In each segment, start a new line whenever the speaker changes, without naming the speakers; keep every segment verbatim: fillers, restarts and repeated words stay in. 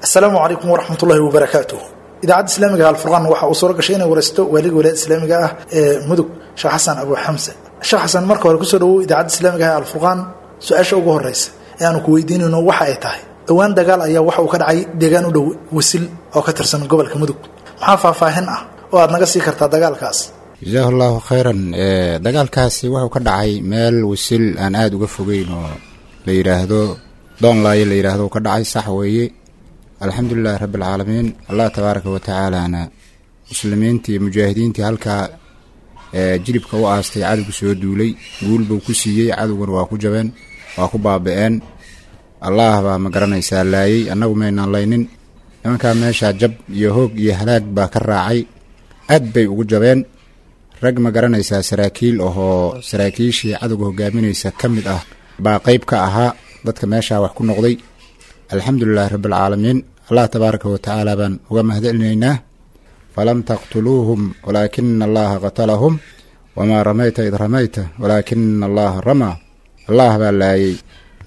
Asalaamu calaykum waraxmatullaahi wabarakaatuh. Idaacadda Islaamiga Alfurqaan waxa uu suura gashay inay waraysto waaliga wilaayada islaamiga ah ee Mudug, Sheekh Xasan Abu Xamse. Sheekh Xasan, marka hore kusoo dhawow Idaacadda Islaamiga ah ee Alfurqaan. Su-aasha ugu horeysa ee aanu ku weydiinayno waxa ay tahay: dhowaan dagaal ayaa waxa uu ka dhacay deegaan u dhow Wasil oo ka tirsan gobolka Mudug. Maxaa faahfaahin ah oo aad naga sii kartaa dagaalkaas?
Jazaahu Allahu khayran. Dagaalkaasi wuxuu ka dhacay meel Wasil aan aada uga fogeyn oo la yidhaahdo Doonlaayo la yidhaahdo ka dhacay, sax weeye. Alxamdulilahi rabbi alcaalamiin, Allah tabaaraka wa tacaalana muslimiintii mujaahidiintii halkaa jilibka u aastay cadowgu soo duulay guul buu ku siiyey. Cadowguna waa ku jabeen, waa ku baaba-een. Allah baa ma garanaysaa laayey, annagu maynaan laynin nimankaa. Meeshaa jab iyo hoog iyo halaag baa ka raacay, aad bay ugu jabeen. Rag ma garanaysaa saraakiil ahoo saraakiishii cadowga hogaaminaysa ka mid ah baa qeyb ka ahaa dadka meeshaa wax ku noqday. Alxamdulilahi rabbialcaalamiin, Allah tabaaraka wa tacaala baan uga mahadcelinaynaa. Falam taqtuluuhum walaakina Allaha qatalahum, wamaa ramayta id ramayta walaakina Allaha ramaa. Allah baa laayey.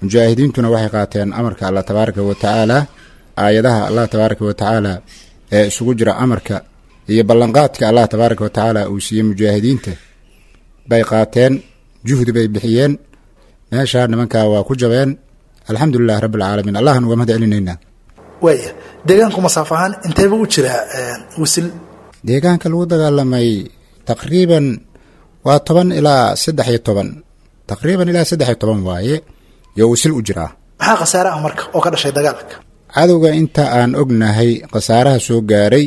Mujaahidiintuna waxay qaateen amarka Allah tabaaraka wa tacaala, aayadaha Allah tabaaraka wa tacaala ee isugu jira amarka iyo ballanqaadka Allah tabaaraka wa tacaala uu siiyey mujaahidiinta bay qaateen, juhdi bay bixiyeen. Meeshaa nimankaa waa ku jabeen. Alxamdulilahi rabbi alcaalamiin, Allahan uga mahad celinaynaa.
Waaya, deegaanku masaafo ahaan inteeba u jiraa Wasil?
Deegaanka lagu dagaalamay taqriiban waa toban ilaa saddex iyo toban, taqriiban ilaa saddex iyo toban waaye yo Wasil u jiraa.
Maxaa khasaare ah marka oo ka dhashay dagaalka?
Cadowga inta aan ognahay khasaaraha soo gaaray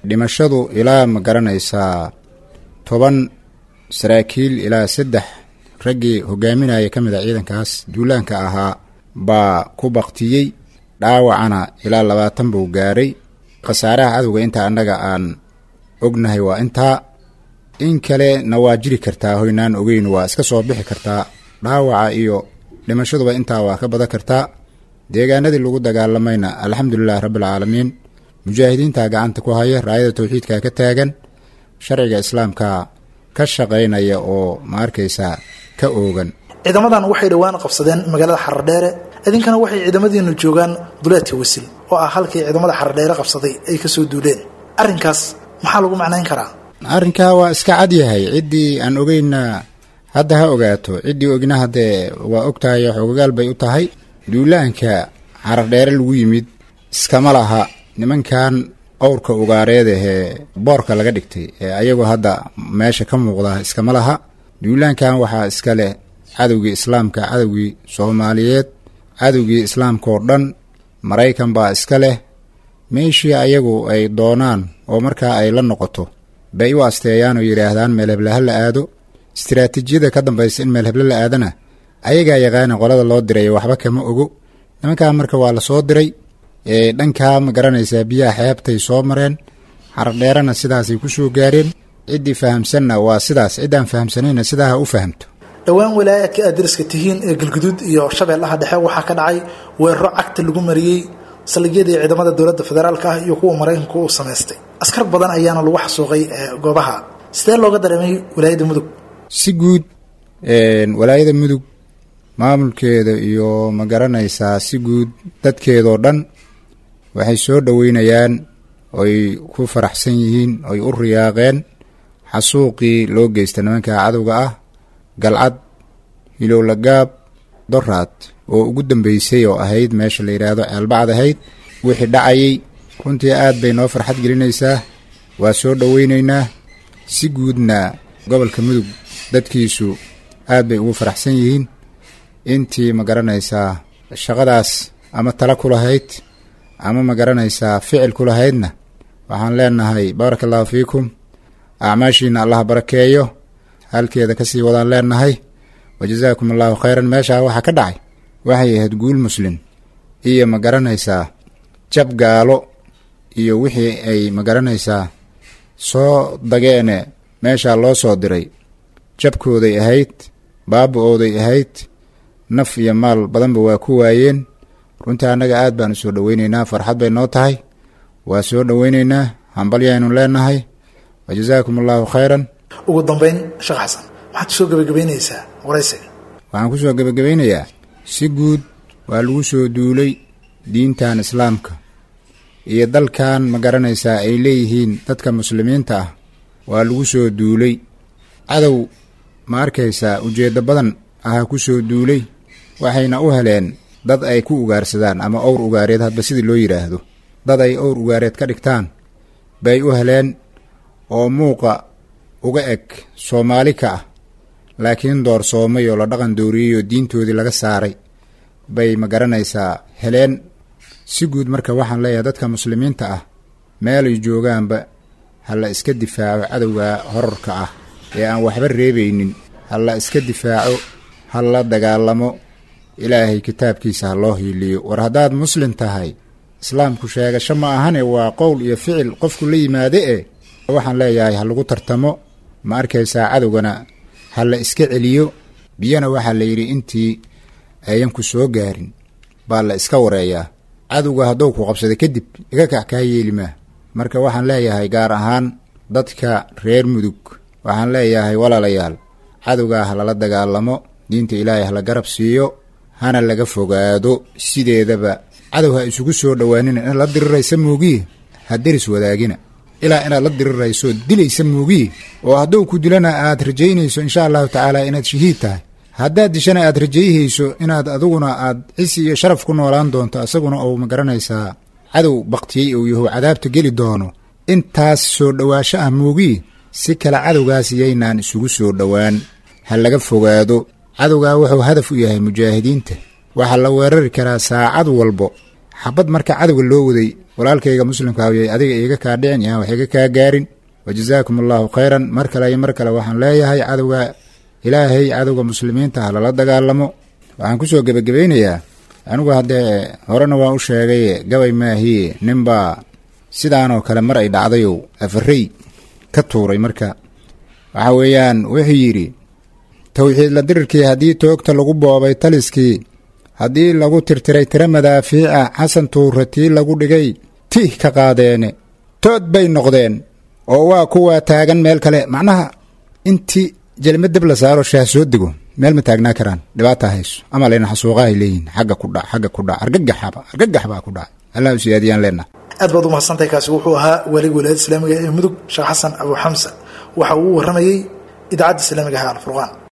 dhimashadu ilaa ma garanaysaa toban saraakiil ilaa saddex raggii hogaaminaya ka mid a ciidankaas duulaanka ahaa baa ku baktiyey. Dhaawacana ilaa labaatan buu gaaray. Khasaaraha cadowga inta annaga aan ognahay waa intaa. In kalena waa jiri kartaa hoynaan ogeyn, waa iska soo bixi kartaa. Dhaawaca iyo dhimashaduba intaa waa ka badan kartaa. Deegaanadii lagu dagaalamayna alxamdulilahi rabbialcaalamiin, mujaahidiinta gacanta ku haya, raayada tawxiidka ka taagan, sharciga islaamka ka shaqaynaya oo ma arkaysaa ka oogan.
Ciidamadan waxay dhowaan qabsadeen magaalada Xaradheere, idinkana waxay ciidamadiinu joogaan duleedka Wasil oo ah halkii ciidamada Xaradheere qabsaday ay kasoo duuleen. Arrinkaas maxaa lagu macnayn karaa?
Arrinkaa waa iska cad yahay. Ciddii aan ogeyna hadda ha ogaato, ciddii ogna haddee waa og tahay, xogagaal bay u tahay. Duulaanka Xaradheere lagu yimid iskama laha nimankan owrka ugaareed ahee boorka laga dhigtay ee ayagoo hadda meesha ka muuqda iskama laha. Duulaankan waxaa iska leh cadowgii islaamka, cadowgii Soomaaliyeed, cadowgii islaamka oo dhan, Maraykan baa iska leh. Meeshii ayagu ay doonaan oo markaa ay la noqoto bay u asteeyaan oo yidhaahdaan meel heblaha la aado. Istiraatiijiyada ka dambaysa in meel heble la aadana ayagaa yaqaana, qolada loo diray waxba kama ogo. Nimankaa marka waa la soo diray, dhankaa ma garanaysaa biyaha xeebtay soo mareen, Xaradheerana sidaasay ku soo gaareen. Ciddii fahamsanna waa sidaas, ciddaan fahamsanayna sidaa ha u fahamto.
Dhowaan walaayaadka aad dariska tihiin ee Galguduud iyo Shabeellaha Dhexe waxaa ka dhacay weeraro cagta lagu mariyey saldhigyadii ciidamada dowladda federaalka ah iyo kuwa Maraykanku uu samaystay. Askar badan ayaana lagu xasuuqay goobaha. Sidee looga dareemay walaayadda Mudug?
Si guud walaayada Mudug maamulkeeda iyo ma garanaysaa si guud dadkeedoo dhan waxay soo dhoweynayaan oy ku faraxsan yihiin oy u riyaaqeen xasuuqii loo geysta nimanka cadowga ah Galcad, Hilowlagaab, Doraad oo ugu dambeysay oo ahayd meesha la yidhaahdo Ceelbacad ahayd. Wixii dhacayay runtii aad bay noo farxad gelinaysaa, waa soo dhoweynaynaa. Si guudna gobolka Mudug dadkiisu aad bay ugu faraxsan yihiin. Intii ma garanaysaa shaqadaas ama tala ku lahayd ama ma garanaysaa ficil ku lahaydna waxaan leenahay baaraka Allahu fiikum, acmaashiina Allah barakeeyo, halkeeda kasii wadaan leenahay, wa jazaakum Allahu khayran. Meeshaa waxaa ka dhacay waxay ahayd guul muslim iyo ma garanaysaa jab gaalo iyo wixii ay ma garanaysaa soo dageene meeshaa loo soo diray. Jabkooday ahayd, baaba-ooday ahayd, naf iyo maal badanba waa ku waayeen. Runtii annaga aad baan u soo dhoweyneynaa, farxad bay noo tahay, waa soo dhoweyneynaa, hambalyaynu leenahay, wa jazaakum Allahu khayran.
Ugu dambeyn, Sheekh Xasan, maxaad kusoo gebagabeynaysaa waraysiga?
Waxaan kusoo gebagabeynayaa si guud waa lagu soo duulay diintan islaamka. iyo dalkan ma garanaysaa ay leeyihiin dadka muslimiinta ah waa lagu soo duulay. Cadow ma arkaysaa ujeeddo badan ahaa ku soo duulay, waxayna u heleen dad ay ku ugaarsadaan ama owr ugaareed, hadba sidii loo yidhaahdo, dad ay owr ugaareed ka dhigtaan bay u heleen oo muuqa uga eg Soomaali ka ah, laakiin doorsoomay oo la dhaqan dooriyey oo diintoodii laga saaray bay ma garanaysaa heleen. Si guud marka waxaan leeyahay dadka muslimiinta ah meelay joogaanba ha la iska difaaco cadowga horarka ah ee aan waxba reebaynin, ha la iska difaaco, ha la dagaalamo, ilaahay kitaabkiisa ha loo hiiliyo. War haddaad muslim tahay, islaamku sheegasho ma ahane, waa qowl iyo ficil qofku la yimaade e. Waxaan leeyahay ha lagu tartamo, ma arkaysaa, cadowgana ha la iska celiyo. Biyana waxaa la yidhi intii ayan ku soo gaarin baa la iska wareeyaa. Cadowga hadduu ku qabsada kadib iga kac kaa yeeli maa. Marka waxaan leeyahay gaar ahaan dadka reer Mudug, waxaan leeyahay walaalayaal, cadowgaa ha lala dagaalamo, diinta ilaahay ha la garab siiyo, hana laga fogaado. Sideedaba cadow ha isugu soo dhowaanina, inaad la diriraysa moogiye ha deris wadaagina, ilaa inaad la dirirayso dilaysa moogiye, oo hadduu ku dilana aad rajaynayso insha allahu tacaala inaad shahiid tahay, haddaad dishana aad rajayhayso inaad adiguna aad cisi iyo sharaf ku noolaan doonto, asaguna uu ma garanaysaa cadow baktiyey uu yahu cadaabta geli doono. Intaas soo dhowaasho ah moogiye si kale cadowgaas iyaynaan isugu soo dhowaan, ha laga fogaado. Cadowgaa wuxuu hadaf u yahay mujaahidiinta, waxaa la weerari karaa saacad walbo xabad. Marka cadowga loo waday walaalkayga muslimka yay adiga iiga kaa dhicin, yaan wax iga kaa gaarin. Wa jazaakum allahu khayran. Mar kale iyo mar kale waxaan leeyahay cadowga ilaahay, cadowga muslimiinta ha lala dagaalamo. Waxaan kusoo gebagabaynayaa, anigu haddee horena waan u sheegay, gabay maahiye, ninbaa sidaanoo kale mar ay dhacdayow afarey ka tuuray. Marka waxa weeyaan wuxuu yidhi: towxiid la dirirkii haddii toogta lagu boobay, taliskii haddii lagu tirtiray tiro madaafiica, Xasan Tuure tii lagu dhigay tih ka qaadeene, tood bay noqdeen oo waa kuwaa taagan meel kale. Macnaha intii jelma dab la saaro shaah soo dego meel ma taagnaa karaan, dhibaata hayso ama lena xasuuqahay leeyihin, xagga ku dhac, xagga ku dhac, argagaxaba argagax baa ku dhacay. Allah u siyaadiyaan leenaha.
Aad baad umahadsantahay. Kaasi wuxuu ahaa waaliga wilaayada islaamiga ee Mudug, Sheekh Xasan Abu Xamsa, waxa uu warramayey idaacadda islaamiga ah Alfurqaan.